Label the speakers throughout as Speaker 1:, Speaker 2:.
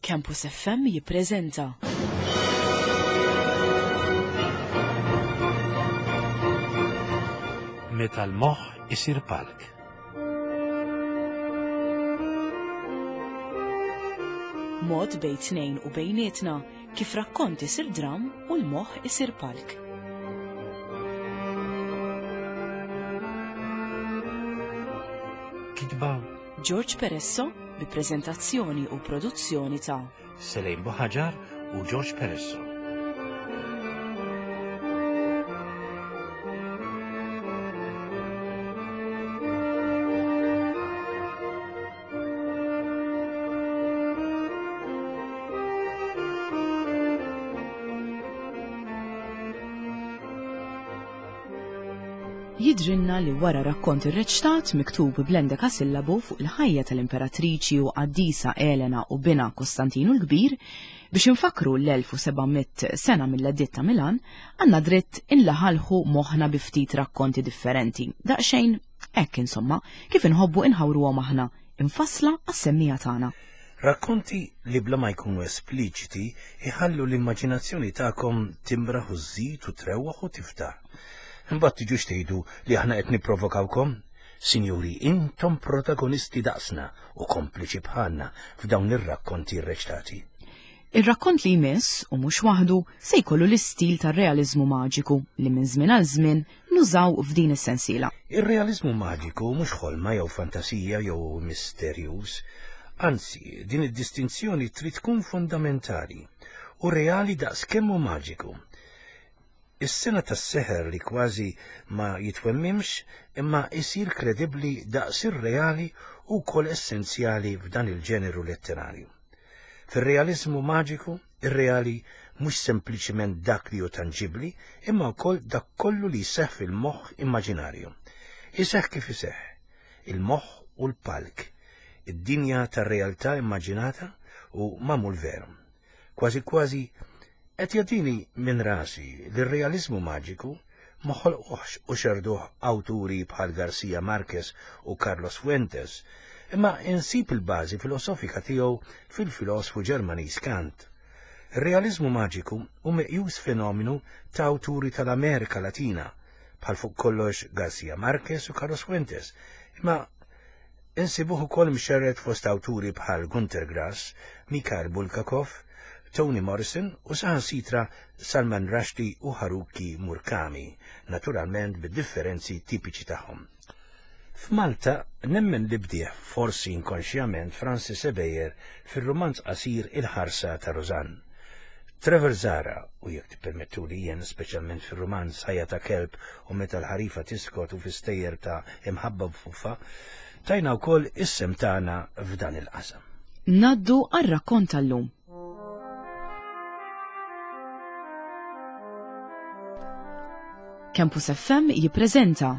Speaker 1: Campus FM jippreżenta.
Speaker 2: Meta l-moħħ isir palk.
Speaker 1: Mod bejn tnejn u bejnietna kif rakkont isir dram u l-moħħ isir palk.
Speaker 2: Kitba
Speaker 1: George Peresso bi preżentazzjoni u produzzjoni ta'
Speaker 2: Selejn Buħaġar u George Peresso.
Speaker 1: Jidhrilna li wara rakkont irreċtat miktub bl-endekasillabu fuq il-ħajja tal-Imperatriċi u qaddisa Elena u binha Kostantinu l-Kbir, biex infakkru l-1700 sena mill-Editt ta' Milan, għandna dritt inlaħalħu moħħna bi ftit rakkonti differenti, daqsxejn hekk insomma, kif inħobbu inħawruhom aħna, imfassla għas-semmiegħa tagħna.
Speaker 2: Rakkonti li bla ma jkunu espliċiti jħallu l-immaġinazzjoni tagħkom timraħ u żżid u trewwaħ u tiftaħ. Imbagħad tiġux tgħidu li aħna qed nipprovokawkom. Sinjuri, intom protagonisti daqsna u kompliċi bħalna f'dawn ir-rakkonti rreċtati.
Speaker 1: Ir-rakkont li jmiss, u mhux waħdu, se jkollu l-istil tar-realiżmu maġiku li minn żmien għal żmien nużaw f'din is-sensiela.
Speaker 2: Ir-realiżmu maġiku mhux ħolma jew fantasija jew misterjuż. Anzi, din id-distinzjoni trid tkun fundamentali u reali daqs kemm hu maġiku. Is-sena tas-seħer li kważi ma jitwemmimx imma jsir kredibbli daqs ir-reali hu wkoll essenzjali f'dan il-ġeneru letterarju. Fir-realiżmu maġiku, ir-reali mhux sempliċiment dak li hu tanġibbli imma wkoll dak kollu li jseħħ fil-moħħ immaġinarju. Iseħħ kif iseħħ. Il-moħħ u l-palk. Id-dinja tar-realtà immaġinata u magħmul veru. Kważi kważi qed jagħtini minn rasi li r-realiżmu maġiku ma ħolquhx u xerduh awturi bħal Garcia Marquez u Carlos Fuentes, imma insib il-bażi filosofika tiegħu fil-filosfu Ġermaniż Kant. Ir-realiżmu maġiku hu meqjus fenomenu ta' awturi tal-Amerika Latina, bħal fuq kollox Garcia Marquez u Carlos Fuentes, imma Insibuh ukoll mxerred fost awturi bħal Günter Grass, Mikhail Bulgakov, Toni Morrison u saħansitra Salman Rushdie u Haruki Murakami, naturalment bid-differenzi tipiċi tagħhom. F'Malta nemmen li bdieh, forsi inkonxjament, Francis Ebejer fir-rumanz qasir Il-Ħarsa ta' Rosanne. Trevor Zahra, u jekk tippermettuli jien, speċjalment fir-rumanz Ħajja ta' Kelb u Meta l-Ħarifa Tiskot u fi stejjer ta' Imħabba b'Fuffa, tajna wkoll is-sehem tagħna f'dan il-qasam.
Speaker 1: Ngħaddu għar-rakkont tal-lum. Campus FM jippreżenta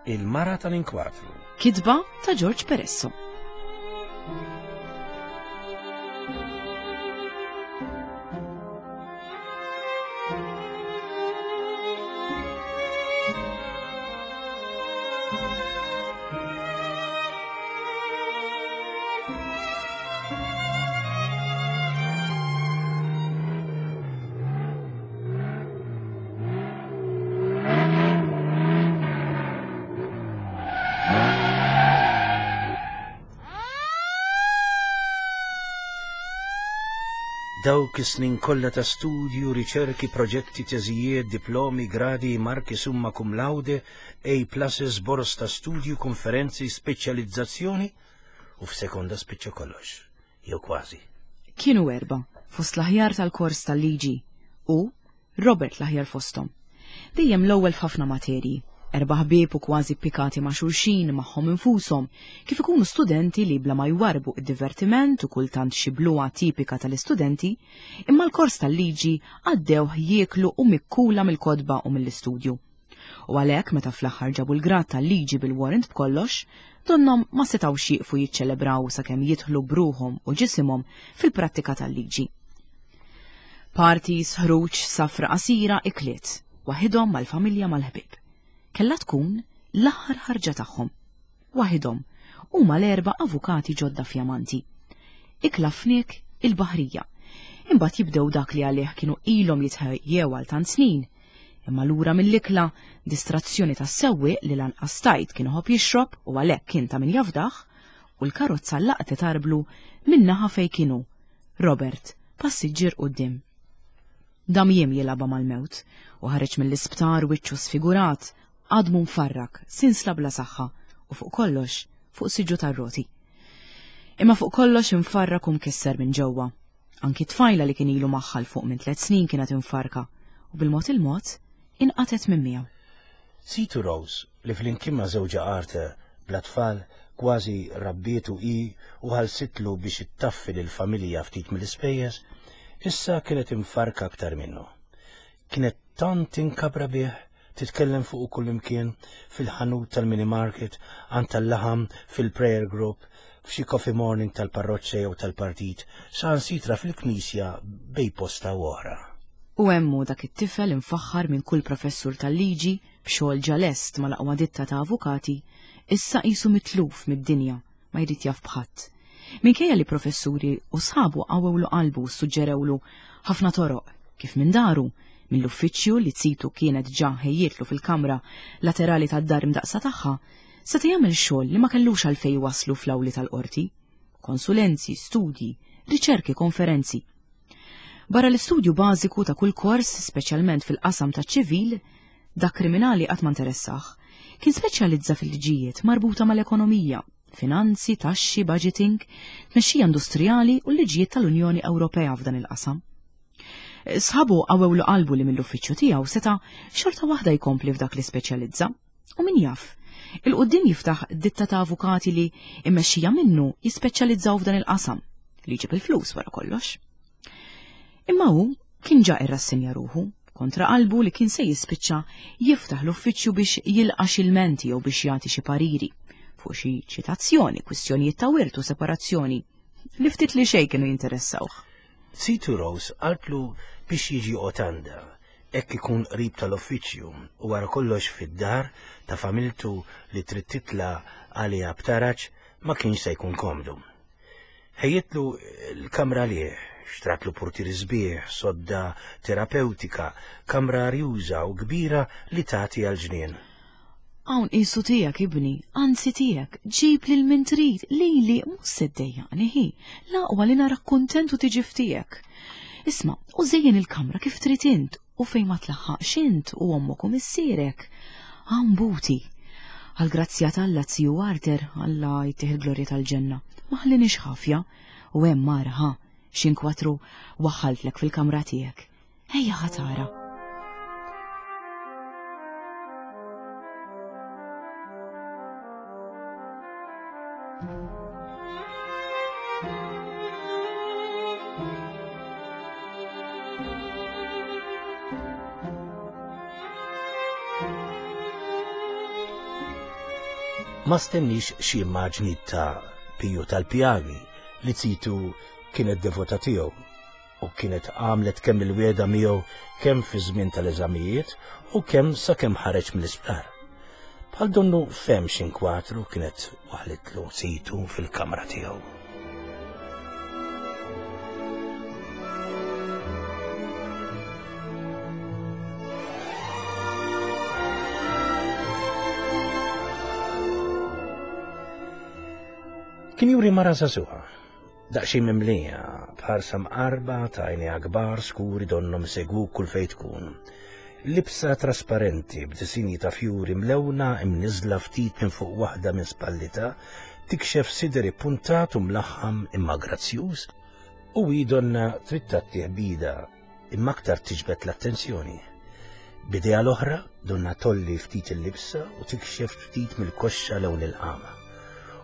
Speaker 2: Il-Mara tal-Inkwatru.
Speaker 1: Kitba ta' George Peresso.
Speaker 2: Dawk is-snin kollha ta' studju, riċerki, proġetti, teżijiet, diplomi, gradi, marki summa cum laude, A pluses, boros ta' studju, konferenzi, speċjalizzazzjoni, u f'sekonda spiċċa kollox. Jew kważi.
Speaker 1: Kienu erbgħa, fost l-aħjar tal-kors tal-liġi, u Robert l-aħjar fosthom. Dejjem l-ewwel f'ħafna materji. Erbgħa ħbieb u kważi ppikati ma' xulxin, magħhom infushom, kif ikunu studenti li bla ma jwarrbu d-divertiment u kultant xi bluha tipika tal-istudenti, imma l-kors tal-liġi għaddewh jieklu u mikkula mill-kotba u mill-istudju. U għalhekk meta fl-aħħar ġabu l-grad tal-liġi bil-warrant b'kollox, donnhom ma setgħux jieqfu jiċċelebraw sakemm jidħlu b'ruħhom u ġisimhom fil-prattika tal-liġi. Parties, ħruġ, safra qasira, ikliet, waħidhom mal-familja mal-ħbieb. Kellha tkun l-aħħar ħarġa tagħhom. Waħidhom, huma l-erba' avukati ġodda fjamanti. Ikla fniek. il-baħrija. Imbagħad jibdew dak li għalih kienu ilhom jitħejjew għal tant snin. Imma lura mill-ikla, distrazzjoni tas-sewwieq li lanqas tajt kien iħobb jixrob u għalhekk kien ta' min jafdah, u l-karozza laqtet arblu min-naħa fejn kien hu, Robert, passiġġier quddiem. Dam jiem jilgħabha mal-mewt u ħareġ mill-isptar wiċċu sfigurat, għadmu mfarrak, sinsla bla saħħa u fuq kollox fuq siġġu tar-roti. Imma fuq kollox imfarrak u mkisser minn ġewwa. Anki t-tfajla li kien ilu magħha 'l fuq minn tliet snin kienet imfarrka u bil-mod il-mod inqatgħet minn miegħu.
Speaker 2: Situ Rose, li flimkien ma' żewġha Arthur, bla tfal, kważi rabbietu hi u ħallsitlu biex ittaffi lill-familja ftit mill-ispejjeż, issa kienet imfarrka aktar minnu. Kienet tant tinkabra bih, titkellem fuqu kullimkien, fil-ħanut tal-mini market, għand tal-laħam, fil-prayer group, f'xi coffee morning tal-parroċċa jew tal-partit, saħansitra fil-knisja bejn posta u oħra.
Speaker 1: U hemm hu dak it-tifel imfaħħar minn kull professur tal-liġi, b'xogħol ġa lest mal-aqwa ditta ta' avukati, issa qisu mitluf mid-dinja, ma jrid jaf b'ħadd. Minkejja li professuri u sħabu qawwewlu qalbu u ssuġġerewlu ħafna toroq, kif minn daru, mill-uffiċċju li zitu kienet ġa ħejjietlu fil-kamra laterali tad-dar imdaqqsa tagħha, seta' jagħmel xogħol li ma kellux għalfejn iwasslu fl-awli tal-qorti. Konsulenzi, studji, riċerki, konferenzi. Barra l-istudju bażiku ta' kull kors, speċjalment fil-qasam taċ-ċivil, dak kriminali qatt ma interessah, kien speċjalizza fil-liġijiet marbuta mal-ekonomija, finanzi, taxxi, budgeting, tmexxija industrijali u l-liġijiet tal-Unjoni Ewropea f'dan il-qasam. Sħabu qawwewlu qalbu li mill-uffiċċju tiegħu seta' xorta waħda jkompli f'dak li speċjalizza. U min jaf, il-quddiem jiftaħ ditta ta' avukati li immexxija minnu jispeċjalizzaw f'dan il-qasam, li jġib il-flus wara kollox. Imma hu kien ġa irrassenja ruħu kontra qalbu li kien se jispiċċa jiftaħ l-uffiċċju biex jilqa' xi lmenti jew biex jagħti xi pariri fuq xi ċitazzjoni, kwistjonijiet ta' wirt u separazzjoni li ftit li xejn kienu jinteressawh.
Speaker 2: Situ Rose qaltlu biex jiġi joqgħod għandha, hekk ikun qrib tal-uffiċċju u wara kollox fid-dar ta' familtu li trid titla' għaliha b'taraġ ma kienx se jkun komdu. Ħejjitlu l-kamra għalih, xtratlu purtieri sbieħ, sodda terapewtika, kamra arjuża u kbira li tagħti għall-ġnien.
Speaker 1: Hawn qisu tiegħek ibni, anzi tiegħek, ġib lil min trid, lili mhux se ddejjaqni ħi, l-aqwa li narak kuntent u tiġi f'tiegħek. Isma', u żejjen il-kamra kif trid int u fejn ma tlaħħaqx int u ommok u missierek. Hawn buti. Għall-grazzja t'Alla ziju Arthur, Alla jtih il-glorja tal-ġenna, ma ħallinix ħafja u hemm ara ħa xi nkwatru waħħaltlek fil-kamra tiegħek. Ejja ħa tara.
Speaker 2: Ma stennix xi immaġni ta' Piju tal-Pjagi li zitu kienet devota tiegħu u kienet għamlet kemm il-wiegħda miegħu kemm fi żmien tal-eżamijiet u kemm sakemm ħareġ mill-isptar. Bħal donnu fehem x'inkwatru kienet waħlitlu situ fil-kamra tiegħu. Kien juri mara żagħżugħa, Daqsxejn mimlija, b'ħarsa mqarba ta' għajnejha kbar skuri donnhom isegwuk kull fejn tkun. Libsa trasparenti b'disinji ta' fjuri mlewna imniżżla ftit minn fuq waħda minn spallitha tikxef sider ippuntat u mlaħħam imma grazzjuż, u hi donnha trid tgħattih b'idha imma aktar tiġbed l-attenzjoni. B'idejha l-oħra donnha tgħolli ftit il-libsa u tikxef ftit mill-koxxa lewn il-qama.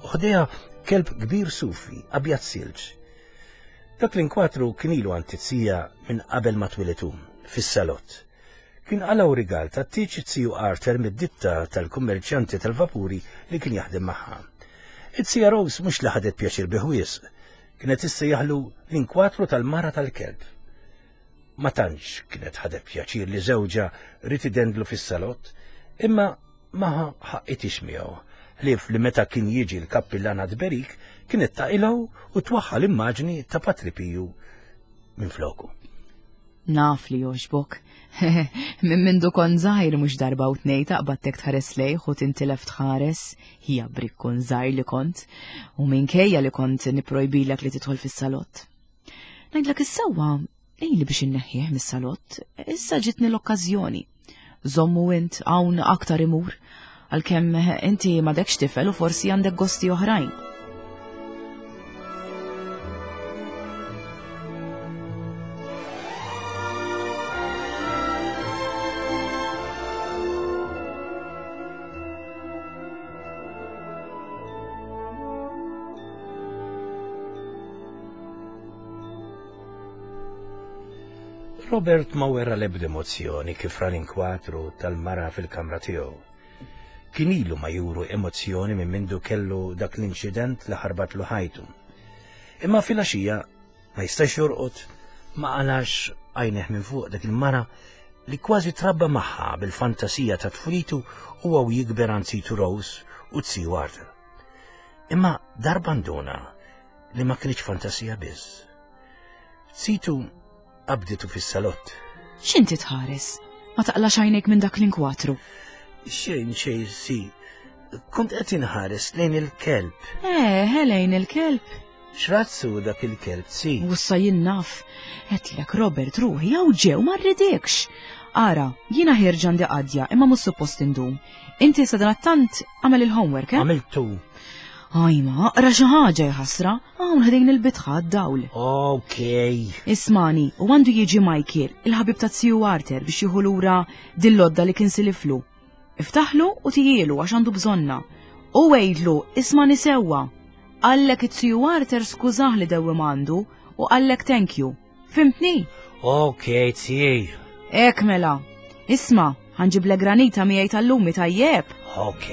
Speaker 2: U ħdejha kelb kbir sufi, abjad silġ. Dak l-inkwatru kien ilu għand it-tija minn qabel ma twieled hu, fis-salott. Kien qalgħu rigal tat-tieġ it-tiju Arthur mid-ditta tal-kummerċjanti tal-vapuri li kien jaħdem magħha. It-tija Rose mhux li ħadet pjaċir bih wisq, Kienet issejjaħlu l-inkwatru tal-mara tal-kelb. Ma tantx kienet ħadet pjaċir li żewġha ried idendlu fis-salott, imma ma ħaqqitix miegħu, ħlief li meta kien jiġi l-kappillan għat-tberik kienet taqilgħu u twaħħal immaġni ta' Patri Piju minn floku.
Speaker 1: Naf li jogħġbok. Minn mindu kont żgħir mhux darba u tnej taqbadtek tħares lejh u tintilef tħares, hija brikkun żgħir li kont, u minkejja li kont niprojbilek li tidħol fis-salott. Ngħidlek is-sewwa, ili biex inneħħih mis-salott, issa ġitni l-okkażjoni. Żommu int hawn aktar imur, għalkemm inti m'għadekx tifel u forsi għandek gosti oħrajn.
Speaker 2: Robert ma wera l-ebda emozzjoni kif ra l-inkwatru tal-mara fil-kamra tiegħu. Kien ilu ma juru emozzjoni minn mindu kellu dak l-inċident li ħarbatlu ħajtu. Imma filgħaxija ma jistax jorqod ma qalax għajneh minn fuq dak il-mara li kważi trabba magħha bil-fantasija ta' tfulitu u għaw jikber għand situ Rose u tsi Arthur. Imma darba nduna li ma kienx fantasija biss. Situ qabditu fis-salott.
Speaker 1: X'inti tħares? Ma taqlax għajnejk minn dak l-inkwatru.
Speaker 2: Xejn xejn si. Kont qed inħares lejn il-kelb.
Speaker 1: Eh, lejn il-kelb.
Speaker 2: X'razzu dak il-kelb si?
Speaker 1: Ussa jien naf. Għedtlek Robert ruħi hawn ġew ma rridekx. Ara, jiena ħierġa għandi qadja imma mhux suppost indum. Inti sadanattant għamel il-homework, eh?
Speaker 2: Għamiltu.
Speaker 1: Ajma, aqra xi ħaġa jħassra, hawn ħdejn il-bitħa d-dawl.
Speaker 2: Ok.
Speaker 1: Ismani, u għandu jiġi Michael, il-ħabib ta' ziju Arthur biex jieħu lura dil-lodda li kien siliflu. Iftaħlu u tijielu għax għandu bżonna. U għidlu, ismani sewwa. Qallek it-ziju Arthur skużah li dewwim għandu u qallek thank you. Fimtni?
Speaker 2: Ok, tijaj.
Speaker 1: Ek mela. Isma, ħanġiblek granita miegħi tal-lumi tajjeb.
Speaker 2: Ok.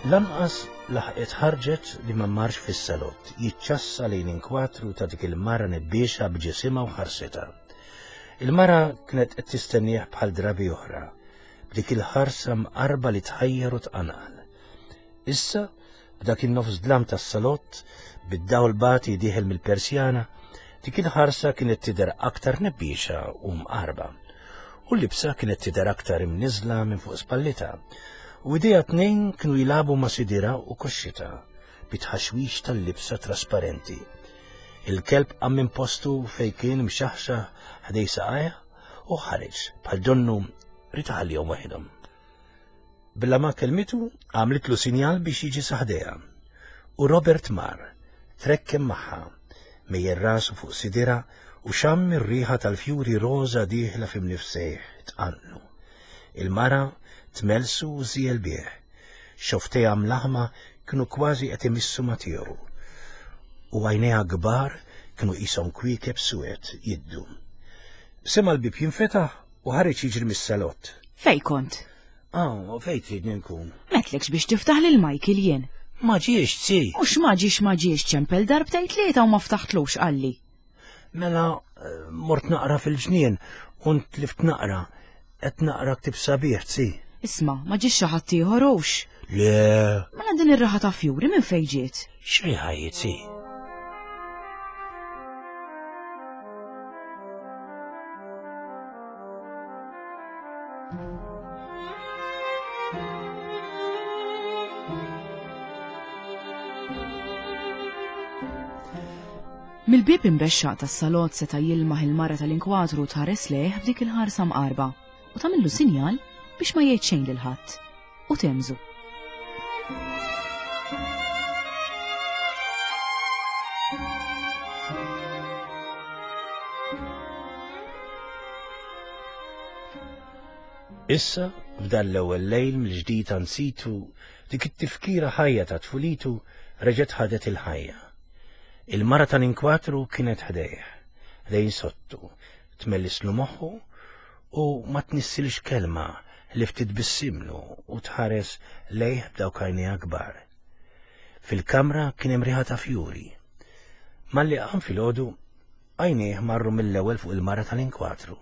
Speaker 2: Lanqas laħqet ħarġet li ma marx fis-salott, jiċċassa lejn inkwatru ta' dik il-mara nebbiexa b'ġisimha u ħarsitha. Il-mara kienet qed tistennieh bħal drabi oħra, b'dik il-ħarsa mqarba li tħajjar u tqanqal. Issa, b'dak in-nofs dlam tas-salott, bid-dawl bati dieħel mill-persjana, dik il-ħarsa kienet tidher aktar nebbiexa u mqarba. U l-libsa kienet tidher aktar imniżla minn fuq spallitha. U idejha tnejn kienu jilagħbu ma' sidirha u koxxitha bi tħaxwix tal-libsa trasparenti. Il-kelb qam minn postu fejn kien mxaħxaħ ħdej saqajha u ħareġ bħal donnu ried iħallihom waħedhom. Bla ma kellmitu, għamlitlu sinjal biex jiġi sa ħdejha. U Robert mar, trekkem magħha, mejjel rasu fuq sidirha u xamm ir-riħa tal-fjuri roża dieħla fi mnifsejh tqanqlu. Il-mara tmellsu u żiegħel bih. Xofftejha mlaħma kienu kważi qed imissu ma' tiegħu. U għajnejha kbar kienu qishom kwiekeb suwed jiddu. Sema' l-bieb jinfetaħ u ħareġ jiġri mis-salott.
Speaker 1: Fejn kont?
Speaker 2: Ah, fejn tridni nkun?
Speaker 1: M'għedtlekx biex tiftaħ lil Michael jien.
Speaker 2: Ma ġiex, zi.
Speaker 1: Mhux ma ġiex ma ġiex ċempel darbtejn tlieta u ma ftaħtlux qalli.
Speaker 2: Mela eh, mort naqra fil-ġnien u ntlift naqra. Qed naqra ktib sabiħ, zi.
Speaker 1: Isma', ma ġiex xi ħadd ieħor hux?
Speaker 2: Le.
Speaker 1: Mela din ir-raħa ta' fjuri minn fejn ġiet?
Speaker 2: X'riħa hi, zi?
Speaker 1: Mill-bieb imbexxaq tas-salott seta' jilmaħ il-mara tal-inkwatru tħares lejh b'dik il-ħarsa mqarba u tagħmillu sinjal biex ma jgħid xejn lil ħadd u temżu.
Speaker 2: Issa, f'dan l-ewwel lejl mill-ġdid ansitu, dik it-tifkira ħajja ta' tfulitu reġgħet ħadet il-ħajja. Il-mara tal-inkwatru kienet ħdejh, ħdejn sottu, tmellislu moħħu. U ma tnissilx kelma li ftit bissimlu u tħares lejh b'dawk għajnejha kbar. Fil-kamra kien hemm riħa ta' fjuri. Malli qam filgħodu, għajnejh marru mill-ewwel fuq il-mara tal-inkwatru.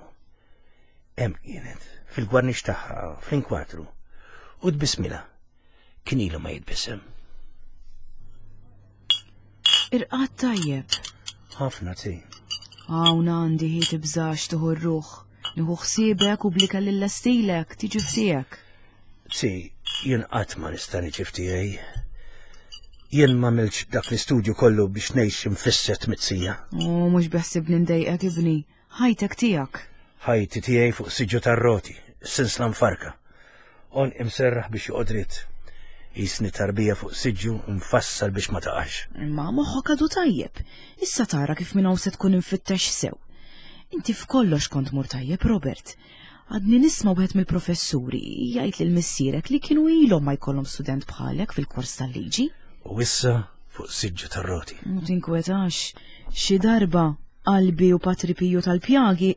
Speaker 2: Hemm kienet, fil-gwarnix tagħha, fl-inkwatru, u tbissmilha. Kien ilu ma jitbissem.
Speaker 1: Irqad tajjeb.
Speaker 2: Ħafna ti.
Speaker 1: Hawn għandi hi tibżax tieħu r-ruħ. Nieħu ħsiebek u blika lil stilek tiġi f'tiegħek.
Speaker 2: Ti, jien qatt ma nista' niġi f'tiegħi. Jien ma milx dak l-istudju kollu biex ngħix imfisset mitzija.
Speaker 1: U mhux beħsibni ndejqek ibni. Ħajtek tiegħek.
Speaker 2: Ħajti tiegħi fuq siġġu tar-roti, sinsla mfarka. Għonq imserraħ biex joqgħod dritt. Qisni tarbija fuq siġġu mfassal biex ma taqax.
Speaker 1: Imma moħħok għadu tajjeb. Issa tara kif minn hawn se tkun imfittex sew. Inti f'kollox kont mur tajjeb, Robert. Għadni nisma' wieħed mill-professuri jgħid lil missierek li kienu ilhom ma jkollhom student bħalek fil-kors tal-liġi.
Speaker 2: U issa fuq siġġu tar-roti.
Speaker 1: Ma tinkwetax, xi darba qalbi u Patri Piju tal-Pjagi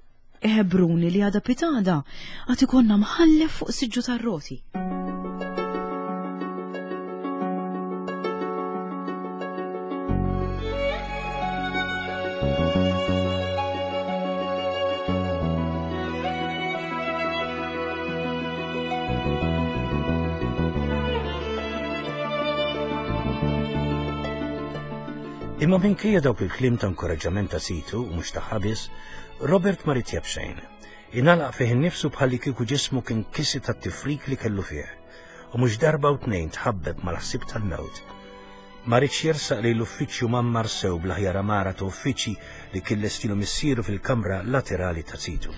Speaker 1: iħebruni li għada pitada għad ikollna mħallef fuq siġġu tar-roti.
Speaker 2: Imma minkejja dawk il-kliem ta' inkoraġġament ta' situ u mhux tagħha biss, Robert ma ried xejn. Ingħalaq fih innifsu bħalli kieku ġismu kien kisi tat-tifrik li kellu fih. U mhux darba u tnejn tħabbeb mal-ħsieb tal-mewt. Ma riedx jersaq lejn l-uffiċċju mgħammar sew bl-aħjar għamara ta' uffiċċji li kien lestilu missieru fil-kamra laterali ta' sidu.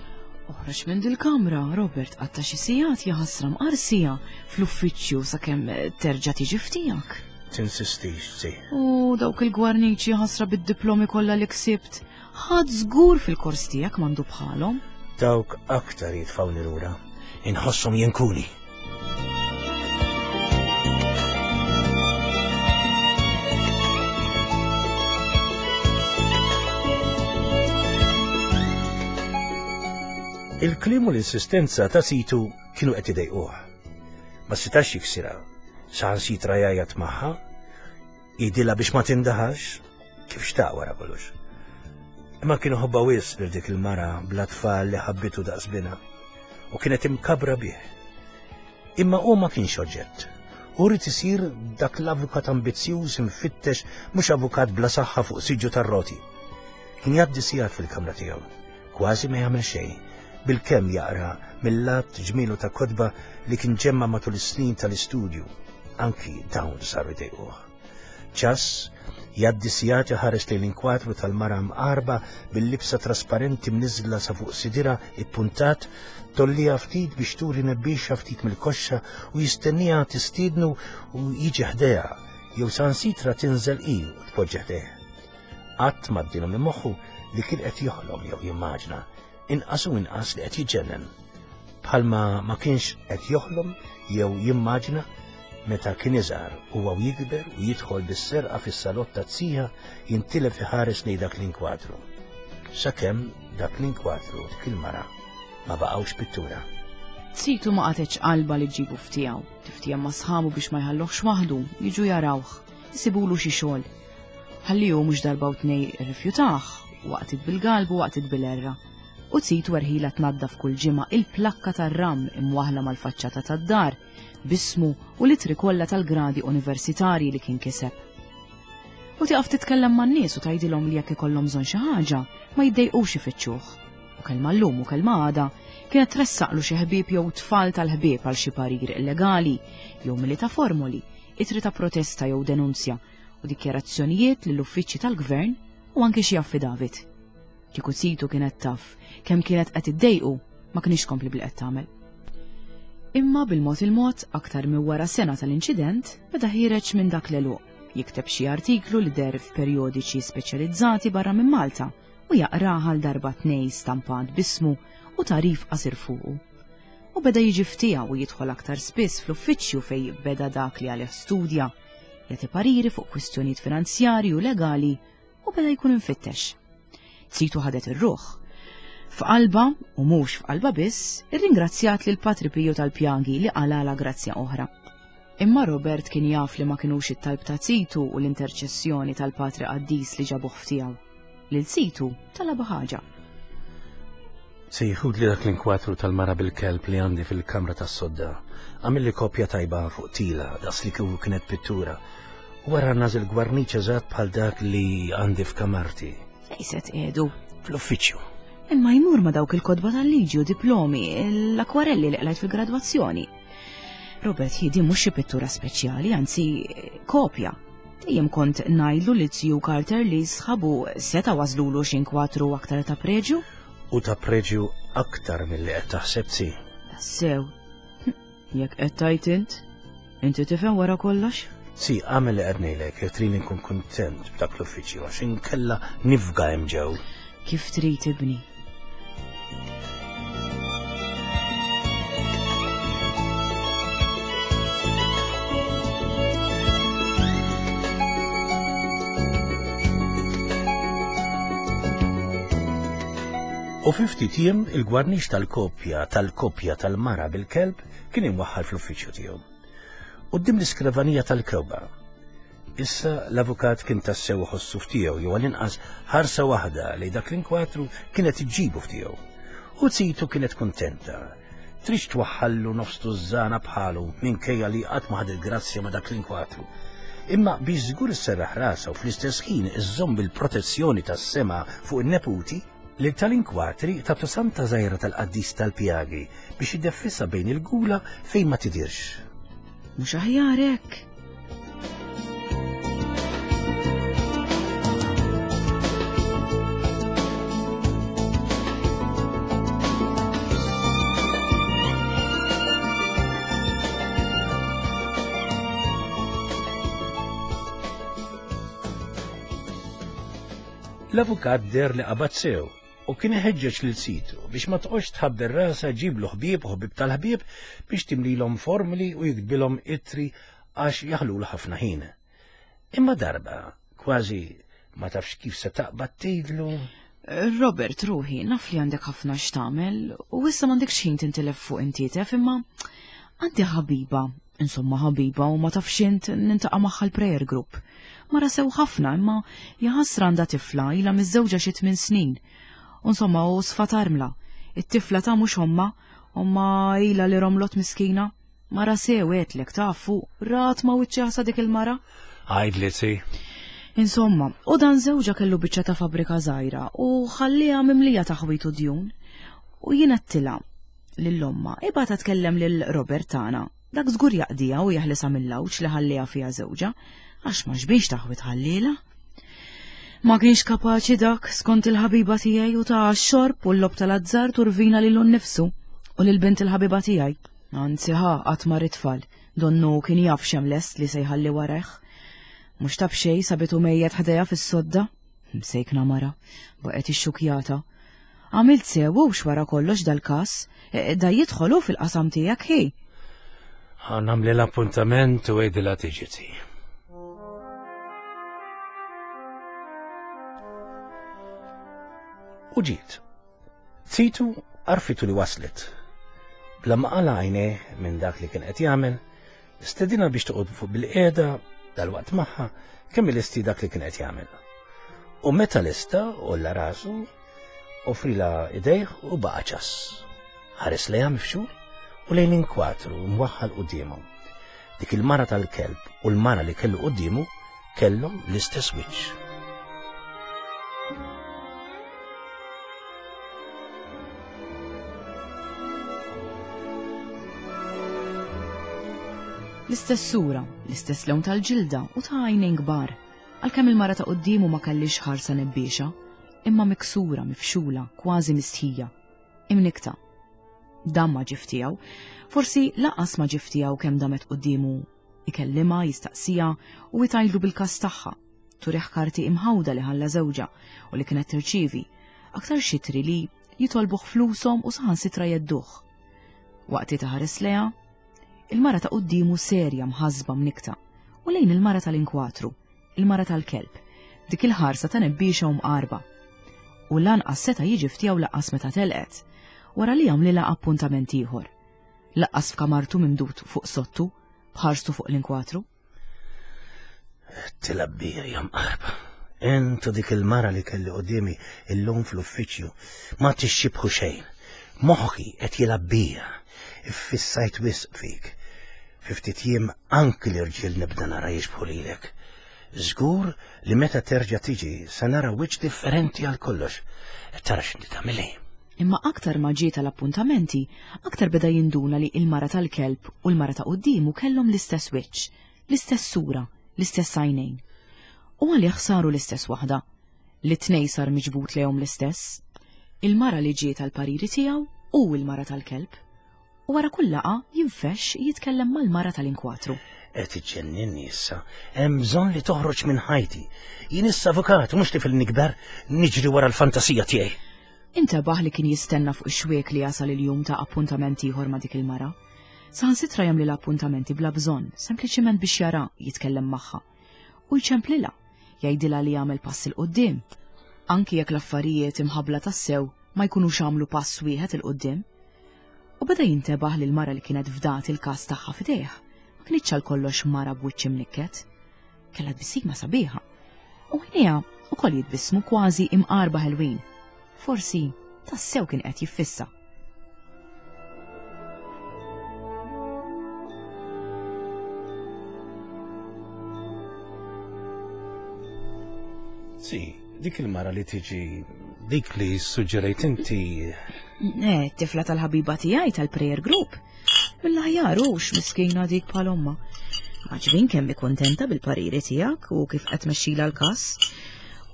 Speaker 1: Oħroġ minn dil-kamra, Robert qatta' xi sigħat jaħasra mqar siegħa fl-uffiċċju sakemm terġa' tiġi f'tiegħek.
Speaker 2: Tinsistix, zi.
Speaker 1: U dawk il-gwarniċi ħasra bid-diplomi kollha li ksibt, ħadd żgur fil-kors tiegħek m'għandu bħalhom.
Speaker 2: Dawk aktar jitfgħuni lura. Inħosshom jinkuni. Il-kliem u l-insistenza ta' situ kienu qed idejquh. Ma setax jiksirha, saħansitra jgħajjat magħha, jgħidilha biex ma tindaħax, kif xtaq wara kollox. Imma kien iħobbha wisq lil dik il-mara bla tfal li ħabbitu daqs binha u kienet imkabra bih. Imma hu ma kienx oġġett. Hu ried isir dak l-avukat ambizzjuż imfittex mhux avukat bla saħħa fuq siġġu tar-roti. Kien jgħaddi sigħat fil-kamra tiegħu, kważi ma jagħmel xejn, bilkemm jaqra mill-għadd ġmielu ta' kotba li kien ġemma' matul is-snin tal-istudju. Anki dawn saru jdejquh. Ċass, jgħaddi sigħat iħares lejn l-inkwatru tal-mara mqarba bil-libsa trasparenti mniżżla sa fuq sidirha ippuntat, tgħolliha ftit biex turi nebbiexa ftit mill-koxxa u jistennieha tistiednu u jiġi ħdejha jew saħansitra tinżel hi u tpoġġi ħdejh. Qatt m'għaddielu minn moħħu li kien qed joħlom jew jimmaġna inqas u inqas li qed jiġġennen. Bħalma ma kienx qed joħlom jew jimmaġina meta kien iżgħar huwa u jikber u jidħol bis-serqa fis-salott ta' zija jintilef iħares lejn dak l-inkwadru. Sakemm dak l-inkwadru dik il-mara ma baqgħux pittura.
Speaker 1: Zitu ma qatgħetx qalbha li ġġibu f'tiegħu, tiftiehem ma' sħabu biex ma jħalluhx waħdu, jiġu jarawh, isibulu xi xogħol. Ħalli hu mhux darba u tnej irrifjutah, waqtiet bil-galbu waqtiet bil-għerra. U Zitu erħilha tnaddaf kull ġimgħa il-plakka tar-ram imwaħħla mal-faċċata tad-dar, b'ismu u l-ittri kollha tal-gradi universitarji li kien kiseb. U tieqaf titkellem man-nies u tgħidilhom li jekk ikollhom bżonn xi ħaġa, ma jiddejqux ifittxuh. U kelma llum u kelma għada, kienet tressaqlu xi ħbieb jew tfal tal-ħbieb għal xi parir illegali, jew mili ta' formoli, ittri ta' protesta jew denunzja, u dikjarazzjonijiet lill-uffiċċji tal-gvern u anki xi affidavit. Kieku situ kienet taf kemm kienet qed iddejqu ma kienx tkompli bli qed tagħmel. Imma bil-mod il-mod, aktar minn wara sena tal-inċident, beda ħiereġ minn dak l-għeluq, jikteb xi artiklu li deher f'perjodiċi speċjalizzati barra minn Malta u jaqrah għal darba tnej stampat b'ismu u tagħrif qasir fuqu. U beda jiġi f'tiegħu u jidħol aktar spiss fl-uffiċċju fejn beda dak li għalih studja, jagħti pariri fuq kwistjonijiet finanzjarji u legali u beda jkun imfittex. Zitu ħadet ir-ruħ. F'qalba, u mhux f'qalba biss, irringrazzjat lil Patri Piju tal-Pjagi li qalala grazzja oħra. Imma Robert kien jaf li ma kinux it-talb ta' zitu u l-interċessjoni tal-Patri Qaddis li ġabuh f'tiegħu. Lil zitu talabha ħaġa.
Speaker 2: Se jieħudli dak l-inkwatru tal-mara bil-kelb li għandi fil-kamra tas-sodda. Għamilli kopja tajba fuq tila, daqs li kieku kienet pittura. U wara nażel gwarniċ eżatt bħal dak li għandi f'kamarti.
Speaker 1: Fejn se tqiegħdu?
Speaker 2: Fl-uffiċċju.
Speaker 1: Imma jmur ma' dawk il-kotba tal-liġi u diplomi, l-akwarelli li qlajt fil-gradwazzjoni. Robert, hi din mhux xi pittura speċjali, anzi kopja. Dejjem kont ngħidlu lil Ziju Carter li sħabu seta' ważlulu xi inkwatru aktar ta' preġju.
Speaker 2: U ta' preġju aktar milli qed taħseb zi.
Speaker 1: Tassew. Jekk qed tgħid int, inti tifhem wara kollox?
Speaker 2: Zi, agħmel li qed ngħidlek jekk tridni nkun kuntent b'dak l-uffiċċju għax inkella nifga hemm ġew.
Speaker 1: Kif trid ibni.
Speaker 2: U fi ftit jiem il-gwarnix tal-kopja tal-kopja tal-mara bil-kelb kien imwaħħal fl-uffiċċju tiegħu. Quddiem l-iskrivanija tal-kewba Issa l-avukat kien tassew iħossu f'tiegħu jew għall-inqas ħarsa waħda li dak l-inkwatru kienet iġġibu f'tiegħu. U zitu kienet kuntenta. Tridx twaħħallu nofs tużżana bħalu minkejja li qatt ma ħadet grazzja ma' dak l-inkwatru. Imma biex żgur isserraħ rasha u fl-istess ħin iżżomm il-protezzjoni tas-sema fuq in-neputi, lil tal-inkwatri tatu santa żgħira tal-qaddis tal-pjagi biex ideffisha bejn il-gula fejn ma tidhirx.
Speaker 1: Mhux aħjar hekk?
Speaker 2: L-avukat deher li qabad sew u kien iħeġġeġ lil situ biex ma toqgħodx tħabbel rasha ġġiblu ħbieb u ħbieb tal-ħbieb biex timlilhom formuli u jiktbilhom ittri għax jaħlulu ħafna ħin. Imma darba, kważi ma tafx kif se taqbad tgħidlu.
Speaker 1: Robert, ruħi, naf li għandek ħafna x'tagħmel u issa m'għandekx ħin tintilef fuq intietef imma għandi ħabiba Insomma ħabiba u ma tafx int nintaqa' magħha l-prayer group. Mara sew ħafna imma jaħasra għandha tifla ilha miżżewġa xi tmien snin. U insomma u sfat armla. It-tifla ta' mhux ommha, ommha ilha li romlot miskina. Mara sew għedtlek taf u rat ma' wiċċi ħasa dik il-mara.
Speaker 2: Għidli si.
Speaker 1: Insomma, u dan żewġha kellu biċċa ta' fabbrika żgħira u ħalliha mimlija taħwid u djun. U jien għedtilha, lil ommha, ibgħatha tkellem lil Robert tagħna, dak żgur jaqdiha u jeħlisha mill-għawġ li ħalliha fiha żewġha, għax ma xbiex taħwid ħallielha. Ma kienx kapaċi dak, skont il-ħabiba tiegħi u ta' xorb u l-lob tal-azzard u rvina lilu nnifsu u lil bint il-ħabiba tiegħi. Anzi ħa qatt ma tfal, donnu kien jaf x'hemm lest li se jħalli warajh. Mhux ta' b'xejn sabitu mejjet ħdejha fis-sodda. Msejkna mara, baqgħet ixxukjata. Għamilt sew hux wara kollox dal-każ, e, e, da jidħol hu fil-qasam tiegħek hi.
Speaker 2: Nagħmli l-appuntament u għidilha tiġi ti. U ġiet. Zitu għarfitu li waslet. Bla ma qala għajnejh minn dak li kien qed jagħmel, stedina biex toqgħod fuq bil-qiegħda dal-waqt magħha kemm ilesti dak li kien qed jagħmel. U meta lesta għolla rasu, offrila idejh u baqa' ċass. Ħares lejha mifxul u lejn inkwatru mwaħħal quddiemu. Dik il-mara tal-kelb u l-mara li kellu quddiemu kellhom l-istess wiċċ.
Speaker 1: L-istess sura, l-istess lewn tal-ġilda u ta' għajnejn kbar. Għalkemm il-mara ta' quddiemu ma kellix ħarsa nebbiexa, imma miksura, mifxula, kważi mistħija. Imnikta. Dan ma ġie f'tiegħu. Forsi laqas ma ġie f'tiegħu kemm damet quddiemu ikellimha, jistaqsiha u jtgħidlu bil-każ tagħha. Turih karti imħawda li ħalla żewġha u li kienet tirċievi, aktar xitri li jitolbuh flushom u saħansitra jedduh. Waqt li taħares lejha, il-mara ta' quddiemu serja mħassba mnikta u lejn il-mara tal-inkwatru, il-mara tal-kelb, dik il-ħarsa ta' nebbiexa u mqarba. U lanqas seta' jiġi ftiegħu laqqas meta telqet, wara li għamlilha appuntament ieħor. Laqqas f'kamartu mimdud fuq sottu, b'ħarstu fuq l-inkwatru.
Speaker 2: Tilab bija jam qarba. Intu dik il-mara li kelli quddiemi illum fl-uffiċċju ma tixxibħu xejn. Moħħi qed jilgħab bija. Iffissajt wisq fik. Fi ftit jiem anki l-irġiel nibda nara jixbħu lilek. Żgur li meta terġa' tiġi se nara wiċċ differenti għal kollox. Tara x'inti tagħmilli.
Speaker 1: Imma aktar ma ġie tal-appuntamenti, aktar beda jinduna li il-mara tal-kelb u l-mara ta' quddiemu kellhom l-istess wiċċ, l-istess sura, l-istess għajnejn. U għalih saru l-istess waħda. Li tnej sar miġbud lejhom l-istess. Il-mara li ġiet għall-pariri tiegħu u l-mara tal-kelb. U wara kull laqgħa jinfexx jitkellem mal-mara tal-inkwatru.
Speaker 2: Qed iġġenninni issa. Hemm bżonn li toħroġ minn ħajti. Jien issa avukat, mhux tifel nikber, niġri wara l-fantasija tiegħi.
Speaker 1: Intebaħ li kien jistenna fuq ix-xwiek li jasal il-jum ta' appuntament ieħor ma' dik il-mara. Saħansitra jagħmlilha appuntamenti bla bżonn, sempliċiment biex jara jitkellem magħha. U jċemplilha, jgħidilha li jagħmel pass 'il quddiem. Anki jekk l-affarijiet imħabbla tassew ma jkunux għamlu pass wieħed 'il quddiem. U beda jintebaħ li l-mara li kienet fdat il-każ tagħha f'idejh ma kinitx għal kollox mara b'wiċċ imnikket. Kellha tbissima sabiħa. U għajnejha ukoll jitbissmu kważi imqarba ħelwin. Forsi tassew kien qed jiffissa.
Speaker 2: Si, dik il-mara li tiġi dik li suġġerejt inti.
Speaker 1: Eh, tifla tal-ħabiba tiegħi tal-prayer group. Mill-aħjar hux miskina dik bħal omma. Maġbin kemm kontenta bil-pariri tiegħek u kif qed tmexxila l-każ.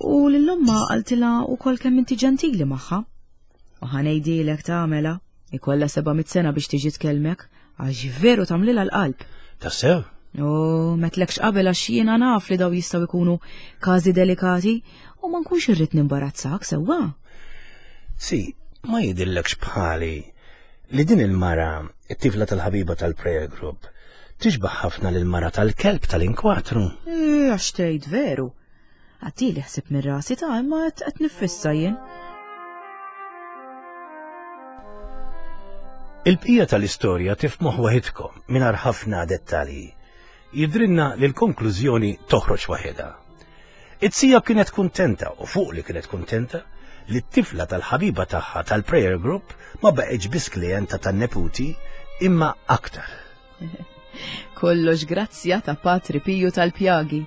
Speaker 1: U lill-omma qaltilha wkoll kemm inti ġentili magħha. U ħanejdilek tagħmela, ikollha 700 sena biex tiġi tkellmek, għax veru tagħmlilha l-qalb.
Speaker 2: Tassew?
Speaker 1: U metlekx qabel għax jiena naf li daw jistgħu jkunu każi delikati u ma nkunx irrid nimbarazzak sewwa.
Speaker 2: Si, ma jidillekx bħali li din il-mara, it-tifla tal-ħabiba tal-prayer group, tixbaħ ħafna lil mara tal-kelb tal-inkwatru.
Speaker 1: Eh, għax tgħid veru. Għaddili ħsib minn rasi ta' imma qed nifissa jien.
Speaker 2: Il-bqija tal-istorja tifmuh waħidkom mingħajr ħafna dettalji. Jidrinna li l-konklużjoni toħroġ waħedha. It-sija kienet kuntenta u fuq li kienet kuntenta li t-tifla tal-ħabiba tagħha tal-prayer group ma baqgħetx biss klijenta tan-neputi imma aktar.
Speaker 1: Kollox grazzja ta' Patri Piju tal-Pjagi.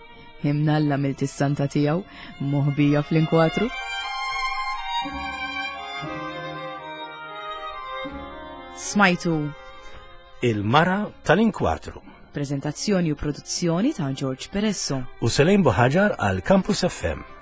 Speaker 1: Imnalla milt is-santa tiegħu moħbija fl-inkwatru. Smajtu
Speaker 2: Il-Mara tal-Inkwatru.
Speaker 1: Prezentazzjoni u produzzjoni ta' George Peresso.
Speaker 2: U Selejn Buħaġar għal Campus FM.